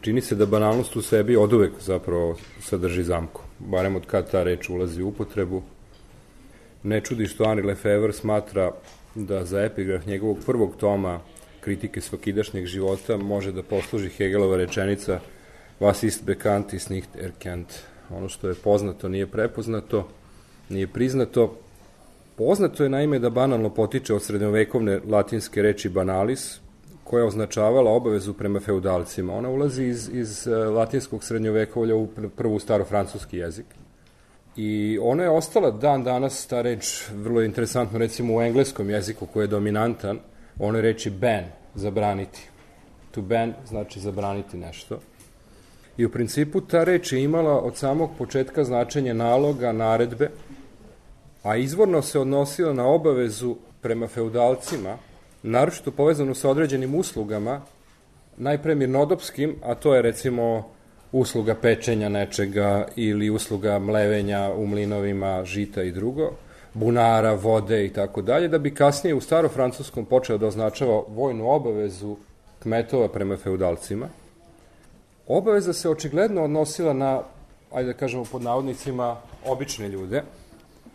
Čini se da banalnost u sebi oduvek zapravo sadrži zamku, barem od kad ta reč ulazi u upotrebu. Ne čudi što Henri Lefebvre smatra da za epigraf njegovog prvog toma kritike svakidašnjeg života može da posluži Hegelova rečenica Was ist bekannt ist nicht erkannt. Ono što je poznato nije prepoznato, nije priznato. Poznato je naime da banalno potiče od srednjovekovne latinske reči banalis, koja je označavala obavezu prema feudalcima. Ona ulazi iz latinskog srednjovekovlja u prvu starofrancuski jezik. I ona je ostala dan danas, ta reč, vrlo interesantno, recimo u engleskom jeziku koji je dominantan, ona je reči ban, zabraniti. To ban znači zabraniti nešto. I u principu ta reč je imala od samog početka značenje naloga, naredbe, a izvorno se odnosila na obavezu prema feudalcima, naročito povezanu sa određenim uslugama, najpre mirnodopskim, a to je recimo usluga pečenja nečega ili usluga mlevenja u mlinovima, žita i drugo, bunara, vode i tako dalje, da bi kasnije u starofrancuskom počeo da označava vojnu obavezu kmetova prema feudalcima. Obaveza se očigledno odnosila na, ajde da kažemo pod navodnicima, obične ljude,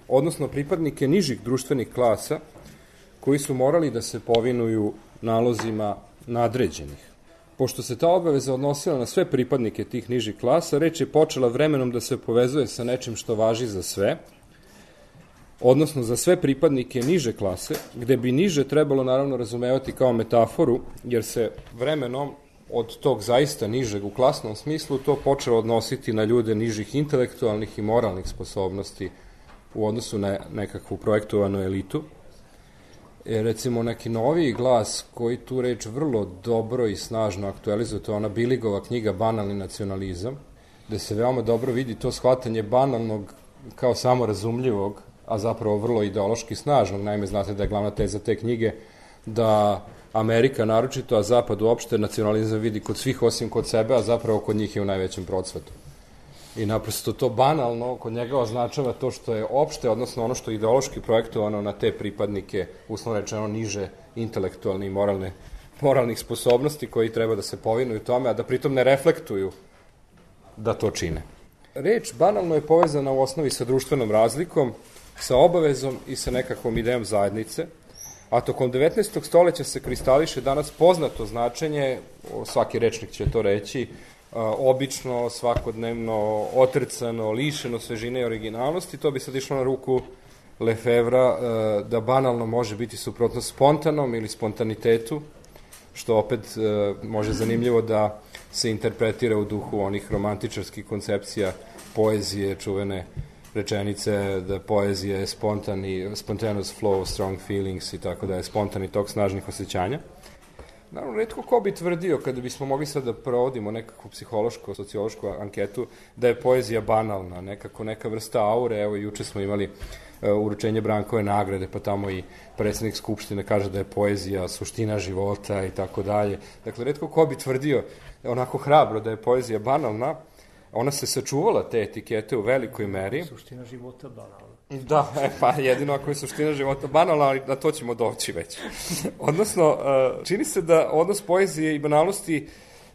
odnosno pripadnike nižih društvenih klasa, koji su morali da se povinuju nalozima nadređenih. Pošto se ta obaveza odnosila na sve pripadnike tih nižih klasa, reč je počela vremenom da se povezuje sa nečim što važi za sve, odnosno za sve pripadnike niže klase, gde bi niže trebalo naravno razumevati kao metaforu, jer se vremenom od tog zaista nižeg u klasnom smislu to počelo odnositi na ljude nižih intelektualnih i moralnih sposobnosti u odnosu na nekakvu projektovanu elitu. Recimo neki noviji glas koji tu reč vrlo dobro i snažno aktualizuje, to je ona Biligova knjiga Banalni nacionalizam, gde se veoma dobro vidi to shvatanje banalnog kao samorazumljivog, a zapravo vrlo ideološki snažnog. Naime, znate da je glavna teza te knjige da Amerika naročito, a Zapad uopšte nacionalizam vidi kod svih osim kod sebe, a zapravo kod njih je u najvećem procvetu. I naprosto to banalno kod njega označava to što je opšte, odnosno ono što je ideološki projektovano na te pripadnike, uslovno rečeno niže intelektualne i moralnih sposobnosti koji treba da se povinuju tome, a da pritom ne reflektuju da to čine. Reč banalno je povezana u osnovi sa društvenom razlikom, sa obavezom i sa nekakvom idejom zajednice, a tokom 19. stoleća se kristališe danas poznato značenje, svaki rečnik će to reći, obično, svakodnevno, otrcano, lišeno svežine i originalnosti. To bi sad išlo na ruku Lefevra da banalno može biti suprotno spontanom ili spontanitetu, što opet može zanimljivo da se interpretira u duhu onih romantičarskih koncepcija poezije, čuvene rečenice da poezija je spontaneous flow, strong feelings i tako da je spontani tok snažnih osjećanja. Naravno, retko ko bi tvrdio, kada bismo mogli sad da provodimo nekakvu psihološku, sociološku anketu, da je poezija banalna, neka vrsta aure. Evo, juče smo imali uručenje Brankove nagrade, pa tamo i predsjednik Skupštine kaže da je poezija suština života i tako dalje. Dakle, retko ko bi tvrdio onako hrabro da je poezija banalna. Ona se sačuvala te etikete u velikoj meri. Suština života banalna. Da, pa jedino ako je suština života banalna, ali na to ćemo doći već. Odnosno, čini se da odnos poezije i banalnosti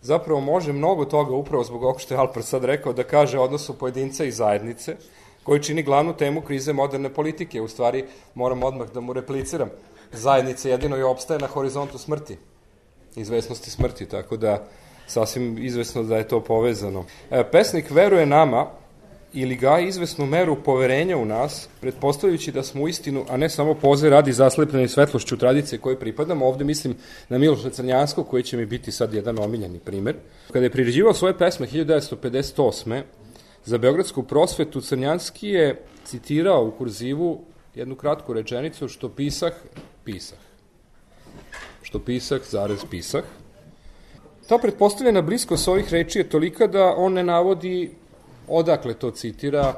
zapravo može mnogo toga, upravo zbog ovog što je Alpar sad rekao, da kaže odnosu pojedinca i zajednice, koji čini glavnu temu krize moderne politike. U stvari, moram odmah da mu repliciram. Zajednica jedino i opstaje na horizontu smrti, izvesnosti smrti, tako da sasvim izvesno da je to povezano. Pesnik veruje nama ili gaji izvesnu meru poverenja u nas, pretpostavljajući da smo u istinu, a ne samo poze radi zaslepljeni svetlošću tradicije koje pripadamo. Ovde mislim na Miloša Crnjanskog, koji će mi biti sad jedan omiljeni primer. Kada je priređivao svoje pesme 1958. za Beogradsku prosvetu, Crnjanski je citirao u kurzivu jednu kratku rečenicu: što pisah, pisah. Što pisah, zarez pisah. Ta pretpostavljena bliskost ovih reči je tolika da on ne navodi odakle to citira,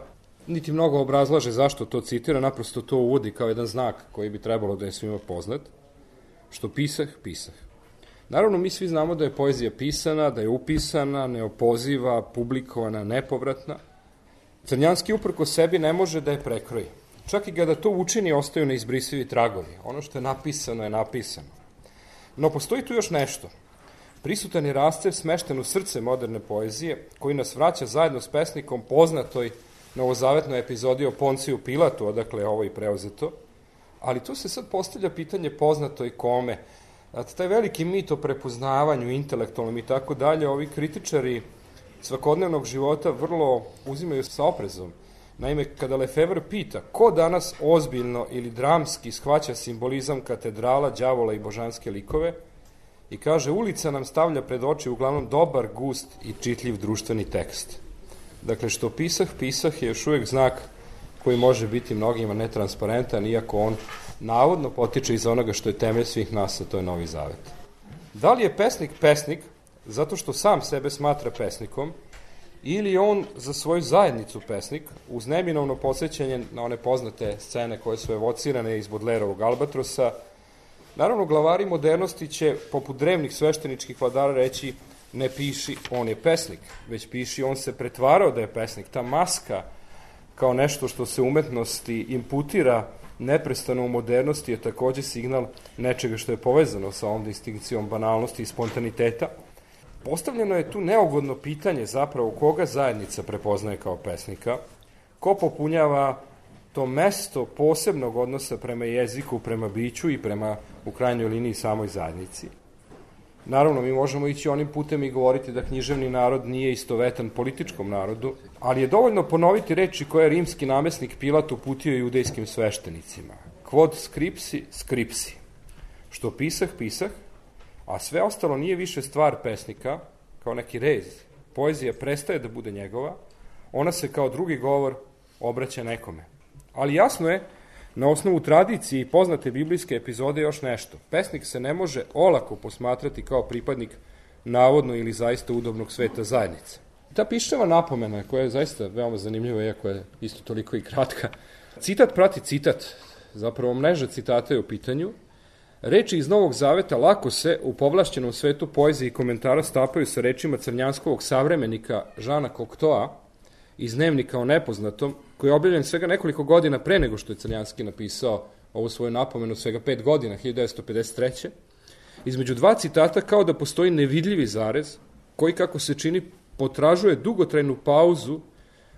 niti mnogo obrazlaže zašto to citira, naprosto to uvodi kao jedan znak koji bi trebalo da je svima poznat. Što pisah, pisah. Naravno, mi svi znamo da je poezija pisana, da je upisana, neopoziva, publikovana, nepovratna. Crnjanski uprko sebi ne može da je prekroji. Čak i kada to učini, ostaju neizbrisivi tragovi. Ono što je napisano je napisano. No, postoji tu još nešto. Prisutan je rascev smešten u srce moderne poezije, koji nas vraća zajedno s pesnikom poznatoj novozavetnoj epizodi o Ponciju Pilatu, odakle je ovo i preuzeto, ali tu se sad postavlja pitanje poznato i kome. Taj veliki mit o prepoznavanju, intelektualnom i tako dalje, ovi kritičari svakodnevnog života vrlo uzimaju sa oprezom. Naime, kada Lefevre pita ko danas ozbiljno ili dramski shvaća simbolizam katedrala, đavola i božanske likove, i kaže, ulica nam stavlja pred oči uglavnom dobar, gust i čitljiv društveni tekst. Dakle, što pisah je još uvijek znak koji može biti mnogima netransparentan, iako on navodno potiče iz onoga što je temelj svih nas, a to je Novi Zavet. Da li je pesnik zato što sam sebe smatra pesnikom, ili on za svoju zajednicu pesnik, uz neminovno podsjećanje na one poznate scene koje su evocirane iz Bodlerovog Albatrosa? Naravno, glavari modernosti će, poput drevnih svešteničkih vladara, reći ne piši, on je pesnik, već piši, on se pretvarao da je pesnik. Ta maska kao nešto što se umetnosti imputira neprestano u modernosti je takođe signal nečega što je povezano sa ovom distinkcijom banalnosti i spontaniteta. Postavljeno je tu neugodno pitanje zapravo koga zajednica prepoznaje kao pesnika, ko popunjava to mesto posebnog odnosa prema jeziku, prema biću i prema, u krajnjoj liniji, samoj zajednici. Naravno, mi možemo ići onim putem i govoriti da književni narod nije istovetan političkom narodu, ali je dovoljno ponoviti reči koje je rimski namesnik Pilat uputio judejskim sveštenicima. Quod scripsi, scripsi. Što pisah, a sve ostalo nije više stvar pesnika, kao neki rez. Poezija prestaje da bude njegova, ona se kao drugi govor obraća nekome. Ali jasno je, na osnovu tradicije i poznate biblijske epizode, još nešto. Pesnik se ne može olako posmatrati kao pripadnik navodno ili zaista udobnog sveta zajednice. Ta piševa napomena, koja je zaista veoma zanimljiva, iako je isto toliko i kratka, citat prati citat, zapravo mreža citata je u pitanju. Reči iz Novog Zaveta lako se u povlašćenom svetu poezije i komentara stapaju sa rečima crnjanskovog savremenika Žana Cocteau iz Dnevnika o nepoznatom, koji je objavljen svega nekoliko godina pre nego što je Crnjanski napisao ovu svoju napomenu, svega 5 godina, 1953. Između dva citata kao da postoji nevidljivi zarez, koji, kako se čini, potražuje dugotrajnu pauzu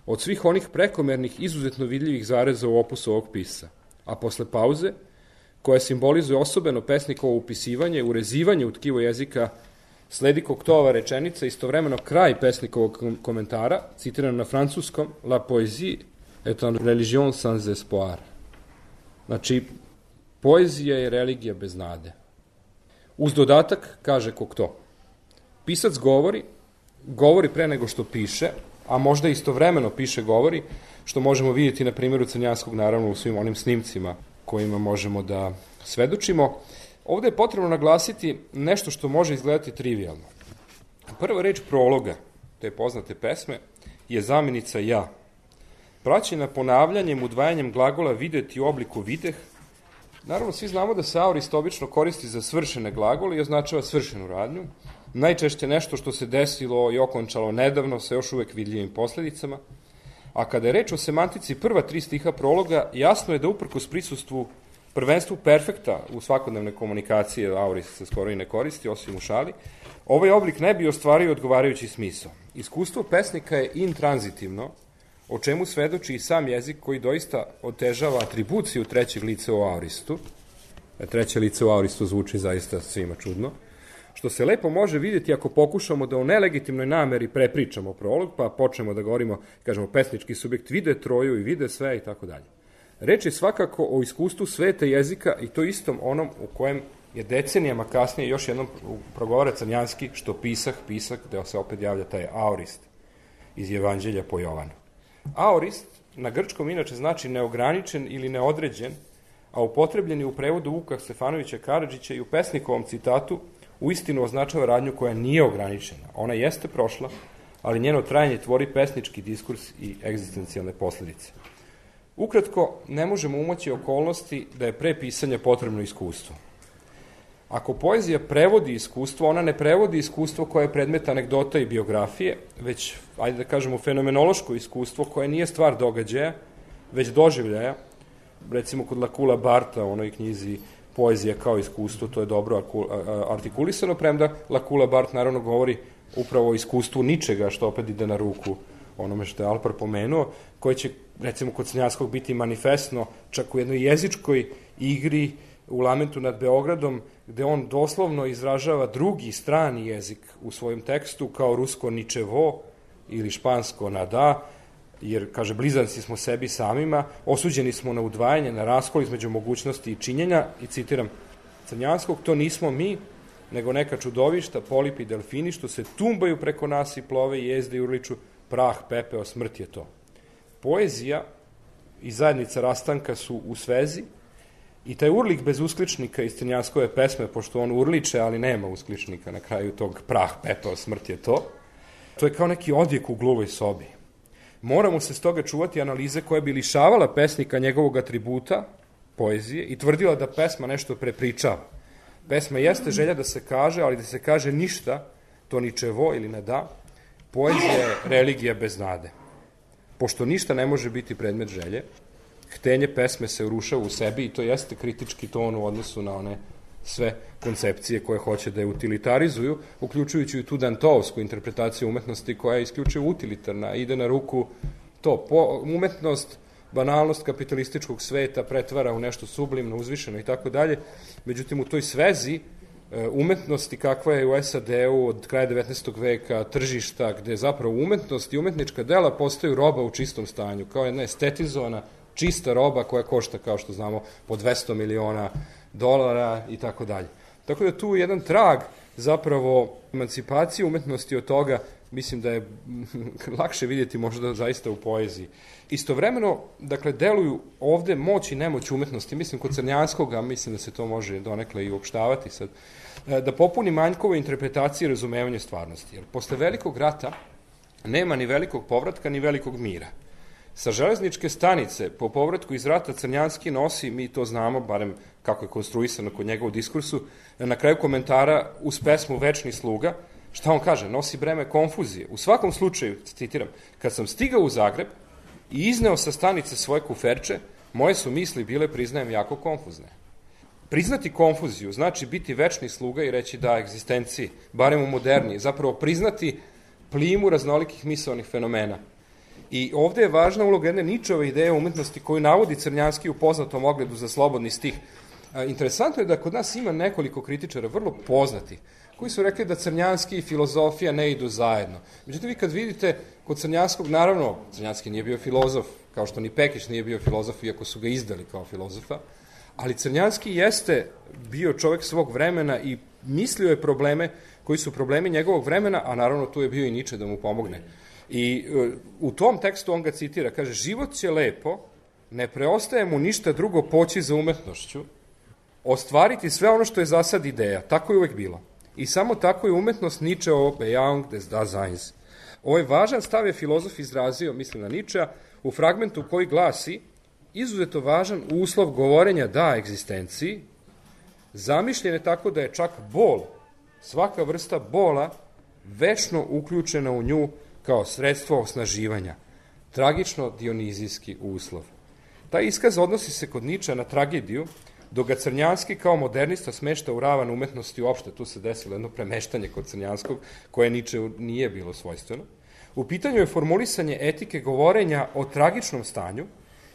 od svih onih prekomernih, izuzetno vidljivih zareza u opusu ovog pisa. A posle pauze, koja simbolizuje osobeno pesnikovo upisivanje, urezivanje u tkivo jezika, sledi Cocteauova rečenica, istovremeno kraj pesnikovog komentara, citiran na francuskom, La poésie est une religion sans espoir. Znači, poezija je religija bez nade. Uz dodatak, kaže Cocteau, pisac govori pre nego što piše, a možda istovremeno piše govori, što možemo vidjeti na primjeru Crnjanskog, naravno u svim onim snimcima kojima možemo da svedočimo. Ovde je potrebno naglasiti nešto što može izgledati trivialno. Prva reč prologa, te poznate pesme, je zamjenica ja. Praćena ponavljanjem, udvajanjem glagola videti u obliku videh. Naravno, svi znamo da se aorist obično koristi za svršene glagole i označava svršenu radnju. Najčešće nešto što se desilo i okončalo nedavno sa još uvek vidljivim posledicama. A kada je reč o semantici prva 3 stiha prologa, jasno je da uprkos prisustvu prvenstvu perfekta u svakodnevne komunikacije, aorist se skoro i ne koristi, osim u šali, ovaj oblik ne bi ostvario odgovarajući smisao. Iskustvo pesnika je intranzitivno, o čemu svedoči i sam jezik koji doista otežava atribuciju trećeg lica u aoristu. Treće lice u aoristu zvuči zaista svima čudno, što se lepo može vidjeti ako pokušamo da u nelegitimnoj nameri prepričamo prolog, pa počnemo da govorimo, kažemo, pesnički subjekt vide Troju i vide sve i tako dalje. Reč je svakako o iskustvu sveta jezika i to istom onom u kojem je decenijama kasnije još jednom progovara Crnjanski, što pisah, gde se opet javlja taj aorist iz Evanđelja po Jovanu. Aorist na grčkom inače znači neograničen ili neodređen, a upotrebljen je u prevodu Vuka Stefanovića Karadžića i u pesnikovom citatu uistinu označava radnju koja nije ograničena. Ona jeste prošla, ali njeno trajanje tvori pesnički diskurs i egzistencijalne posledice. Ukratko, ne možemo umoći okolnosti da je pre pisanja potrebno iskustvo. Ako poezija prevodi iskustvo, ona ne prevodi iskustvo koje je predmet anegdota i biografije, već, ajde da kažemo, fenomenološko iskustvo koje nije stvar događaja, već doživljaja. Recimo kod Lakula Barta, u onoj knjizi poezija kao iskustvo, to je dobro artikulisano, premda Lakula Bart naravno govori upravo o iskustvu ničega, što opet ide na ruku onome što je Alpar pomenuo, koje će, recimo, kod Crnjanskog biti manifestno, čak u jednoj jezičkoj igri u Lamentu nad Beogradom, gde on doslovno izražava drugi strani jezik u svojom tekstu, kao rusko ničevo ili špansko nada, jer, kaže, blizanci smo sebi samima, osuđeni smo na udvajanje, na raskol između mogućnosti i činjenja, i citiram Crnjanskog, to nismo mi, nego neka čudovišta, polipi i delfini, što se tumbaju preko nas i plove i jezde i urliču, prah, pepeo, smrt je to. Poezija i zajednica rastanka su u svezi, i taj urlik bez uskličnika iz Crnjanskove pesme, pošto on urliče, ali nema uskličnika na kraju tog prah, pepeo, smrt je to, to je kao neki odjek u gluvoj sobi. Moramo se stoga čuvati analize koja bi lišavala pesnika njegovog atributa, poezije, i tvrdila da pesma nešto prepričava. Pesma jeste želja da se kaže, ali da se kaže ništa, to ničevo ili ne da, poezija je religija bez nade. Pošto ništa ne može biti predmet želje, htenje pesme se urušava u sebi i to jeste kritički ton u odnosu na one sve koncepcije koje hoće da je utilitarizuju, uključujući i tu dantovsku interpretaciju umetnosti koja je isključivo utilitarna, ide na ruku to. Umetnost, banalnost kapitalističkog sveta pretvara u nešto sublimno, uzvišeno i tako dalje. Međutim, u toj svezi umetnosti kakva je u SAD-u od kraja 19. veka, tržišta, gde zapravo umetnost i umetnička dela postaju roba u čistom stanju, kao jedna estetizovana, čista roba koja košta, kao što znamo, po $200 miliona i tako dalje. Tako da tu jedan trag zapravo emancipacije umetnosti od toga, mislim da je lakše vidjeti možda zaista u poeziji. Istovremeno, dakle, deluju ovde moć i nemoć umetnosti, mislim kod Crnjanskoga, mislim da se to može donekle i uopštavati sad, da popuni manjkove interpretacije i razumevanje stvarnosti. Jer posle velikog rata nema ni velikog povratka, ni velikog mira. Sa železničke stanice, po povratku iz rata, Crnjanski nosi, mi to znamo, barem kako je konstruisano kod njega u diskursu, na kraju komentara uz pesmu Večni sluga, šta on kaže? Nosi breme konfuzije. U svakom slučaju, citiram, kad sam stigao u Zagreb i izneo sa stanice svoje kuferče, moje su misli bile, priznajem, jako konfuzne. Priznati konfuziju znači biti večni sluga i reći da egzistenciji, barem u moderniji, zapravo priznati plimu raznolikih misaonih fenomena. I ovde je važna uloga jedne Ničove ideje umetnosti koju navodi Crnjanski u poznatom ogledu za slobodni stih. Interesantno je da kod nas ima nekoliko kritičara, vrlo poznati, koji su rekli da Crnjanski i filozofija ne idu zajedno. Međutim, vi kad vidite kod Crnjanskog, naravno, Crnjanski nije bio filozof, kao što ni Pekić nije bio filozof, iako su ga izdali kao filozofa, ali Crnjanski jeste bio čovek svog vremena i mislio je probleme koji su problemi njegovog vremena, a naravno tu je bio i Niče da mu pomogne. I u tom tekstu on ga citira, kaže, život će lepo, ne preostaje mu ništa drugo poći za umetnošću, ostvariti sve ono što je za sad ideja, tako je uvek bilo. I samo tako je umetnost Ničeov Bejahung des Daseins. Ovaj važan stav je filozof izrazio, mislim na Ničea, u fragmentu koji glasi: izuzeto važan uslov govorenja da egzistenciji, zamišljen je tako da je čak bol, svaka vrsta bola, večno uključena u nju kao sredstvo osnaživanja. Tragično dionizijski uslov. Taj iskaz odnosi se kod Ničea na tragediju, dok ga Crnjanski kao modernista smešta u ravan umetnosti uopšte. Tu se desilo jedno premeštanje kod Crnjanskog, koje Ničeu nije bilo svojstveno. U pitanju je formulisanje etike govorenja o tragičnom stanju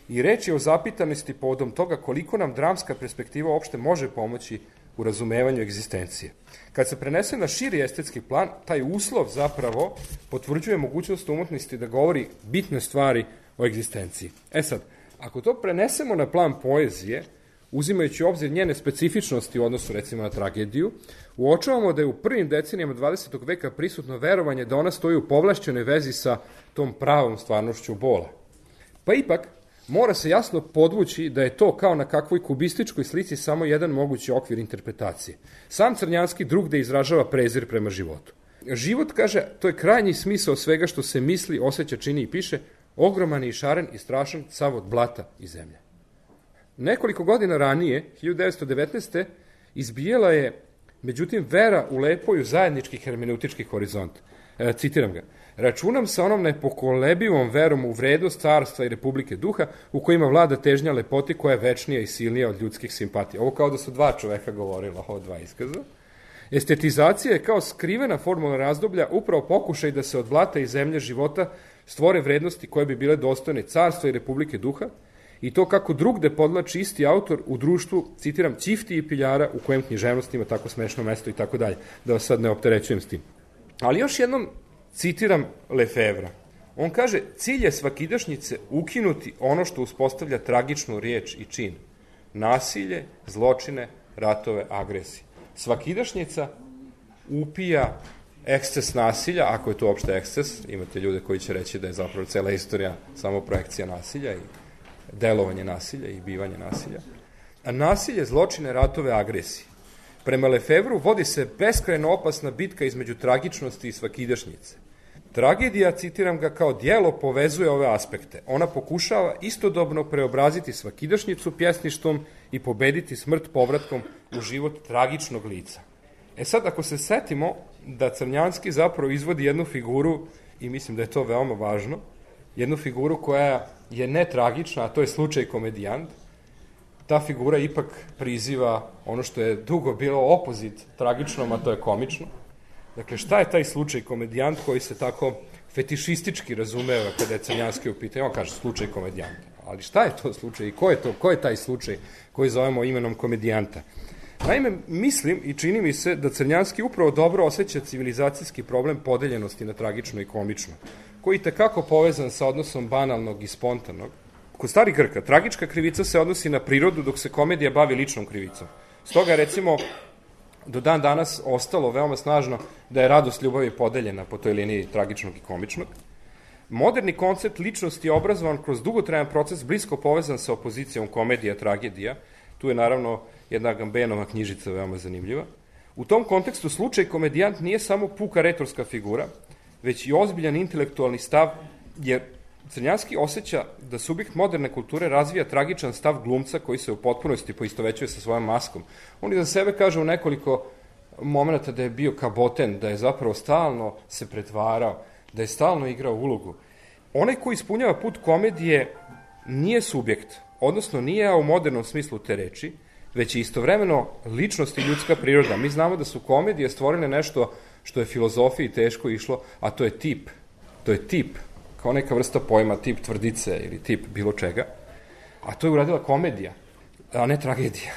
i reč je o zapitanosti povodom toga koliko nam dramska perspektiva uopšte može pomoći u razumevanju egzistencije. Kad se prenese na širi estetski plan, taj uslov zapravo potvrđuje mogućnost umetnosti da govori bitne stvari o egzistenciji. Sad, ako to prenesemo na plan poezije, uzimajući u obzir njene specifičnosti u odnosu recimo na tragediju, uočavamo da je u prvim decenijama 20. veka prisutno verovanje da ona stoji u povlašćenoj vezi sa tom pravom stvarnošću bola. Pa ipak, mora se jasno podvući da je to kao na kakvoj kubističkoj slici samo jedan mogući okvir interpretacije. Sam Crnjanski drugde izražava prezir prema životu. Život, kaže, to je krajnji smisao svega što se misli, osjeća, čini i piše, ogroman i šaren i strašan sav od blata i zemlje. Nekoliko godina ranije, 1919. izbijela je, međutim, vera u lepoju zajednički hermeneutički horizont. Citiram ga. Računam sa onom nepokolebivom verom u vrednost carstva i republike duha u kojima vlada težnja lepoti koja je večnija i silnija od ljudskih simpatija. Ovo kao da su dva čoveka govorila, ovo dva iskaza. Estetizacija je kao skrivena formula razdoblja upravo pokušaj da se od blata i zemlje života stvore vrednosti koje bi bile dostojne carstva i republike duha i to kako drugde podlači isti autor u društvu, citiram, ćifti i piljara u kojem književnost ima tako smešno mesto i tako dalje, da vas sad ne opterećujem s tim. Ali još jednom citiram Lefevra. On kaže, cilj je svakidašnjice ukinuti ono što uspostavlja tragičnu riječ i čin. Nasilje, zločine, ratove, agresije. Svakidašnjica upija eksces nasilja, ako je to uopšte eksces, imate ljude koji će reći da je zapravo cela istorija samo projekcija nasilja i delovanje nasilja i bivanje nasilja. A nasilje, zločine, ratove, agresije. Prema Lefevru vodi se beskrajno opasna bitka između tragičnosti i svakidašnjice. Tragedija, citiram ga, kao dijelo povezuje ove aspekte. Ona pokušava istodobno preobraziti svakidašnjicu pjesništvom i pobediti smrt povratkom u život tragičnog lica. E sad, ako se setimo da Crnjanski zapravo izvodi jednu figuru, i mislim da je to veoma važno, jednu figuru koja je netragična, a to je slučaj komedijant, ta figura ipak priziva ono što je dugo bilo opozit tragičnom, a to je komično. Dakle, šta je taj slučaj komedijant koji se tako fetišistički razumeva kada je Crnjanski u pitanju? On kaže slučaj komedijanta. Ali šta je to slučaj i ko je taj slučaj koji zovemo imenom komedijanta? Naime, mislim i čini mi se da Crnjanski upravo dobro osjeća civilizacijski problem podeljenosti na tragično i komično, koji je tekako povezan sa odnosom banalnog i spontanog. Kod starih Grka, tragička krivica se odnosi na prirodu, dok se komedija bavi ličnom krivicom. Stoga je, recimo, do dan danas ostalo veoma snažno da je radost ljubavi podeljena po toj liniji tragičnog i komičnog. Moderni koncept ličnosti je obrazovan kroz dugotrajan proces blisko povezan sa opozicijom komedija-tragedija. Tu je naravno jedna Agambenova knjižica veoma zanimljiva. U tom kontekstu slučaj komedijant nije samo puka retorska figura, već i ozbiljan intelektualni stav, jer Crnjanski osjeća da subjekt moderne kulture razvija tragičan stav glumca koji se u potpunosti poistovećuje sa svojom maskom. On za sebe kaže u nekoliko momenta da je bio kaboten, da je zapravo stalno se pretvarao, da je stalno igrao ulogu. Onaj koji ispunjava put komedije nije subjekt, odnosno nije u modernom smislu te reči, već je istovremeno ličnost i ljudska priroda. Mi znamo da su komedije stvorile nešto što je filozofiji teško išlo, a to je tip. To je tip, kao neka vrsta pojma, tip tvrdice ili tip bilo čega. A to je uradila komedija, a ne tragedija.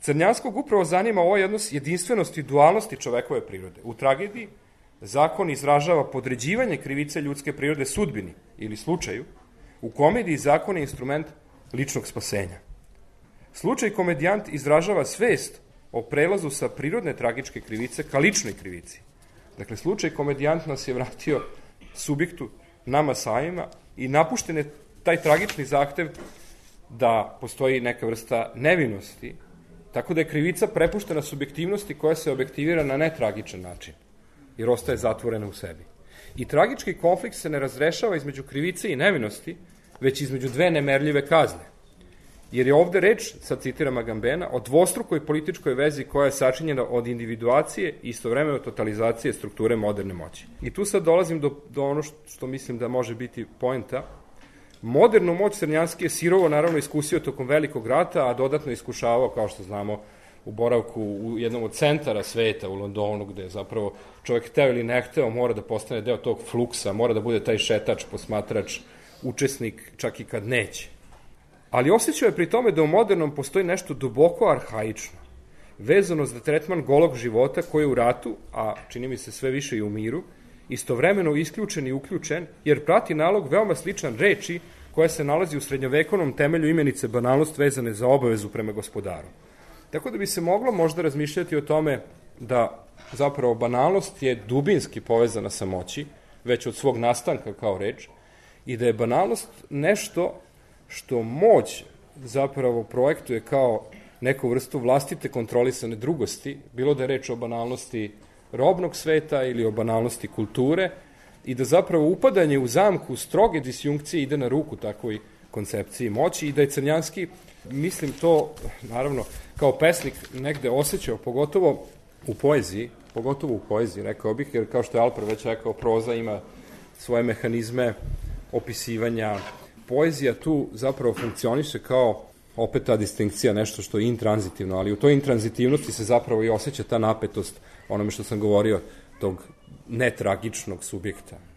Crnjanskog upravo zanima ovaj odnos jedinstvenosti i dualnosti čovekove prirode. U tragediji zakon izražava podređivanje krivice ljudske prirode sudbini ili slučaju. U komediji zakon je instrument ličnog spasenja. Slučaj komedijant izražava svest o prelazu sa prirodne tragičke krivice ka ličnoj krivici. Dakle, slučaj komedijant nas je vratio subjektu, nama samima, i napušten je taj tragični zahtev da postoji neka vrsta nevinosti, tako da je krivica prepuštena subjektivnosti koja se objektivira na netragičan način, jer ostaje zatvorena u sebi. I tragički konflikt se ne razrešava između krivice i nevinosti, već između dve nemerljive kazne. Jer je ovde reč, sad citiram Agambena, o dvostrukoj političkoj vezi koja je sačinjena od individuacije i istovremeno totalizacije strukture moderne moći. I tu sad dolazim do ono što mislim da može biti poenta. Modernu moć Crnjanski je sirovo naravno iskusio tokom Velikog rata, a dodatno iskušavao, kao što znamo, u boravku u jednom od centara sveta u Londonu, gde je zapravo čovjek hteo ili ne hteo mora da postane deo tog fluksa, mora da bude taj šetač, posmatrač, učesnik, čak i kad neće. Ali osjećao je pri tome da u modernom postoji nešto duboko arhaično, vezano za tretman golog života koji je u ratu, a čini mi se sve više i u miru, istovremeno isključen i uključen, jer prati nalog veoma sličan reči koja se nalazi u srednjovekovnom temelju imenice banalnost vezane za obavezu prema gospodaru. Tako da bi se moglo možda razmišljati o tome da zapravo banalnost je dubinski povezana sa moći, već od svog nastanka kao reč, i da je banalnost nešto što moć zapravo projektuje kao neku vrstu vlastite kontrolisane drugosti, bilo da je reč o banalnosti robnog sveta ili o banalnosti kulture, i da zapravo upadanje u zamku stroge disjunkcije ide na ruku takvoj koncepciji moći i da je Crnjanski, mislim to, naravno, kao pesnik negde osjećao, pogotovo u poeziji, pogotovo u poeziji, rekao bih, jer kao što je Alper već rekao, proza ima svoje mehanizme opisivanja. Poezija tu zapravo funkcioniše kao opet ta distinkcija, nešto što je intranzitivno, ali u toj intranzitivnosti se zapravo i osjeća ta napetost, onome što sam govorio, tog netragičnog subjekta.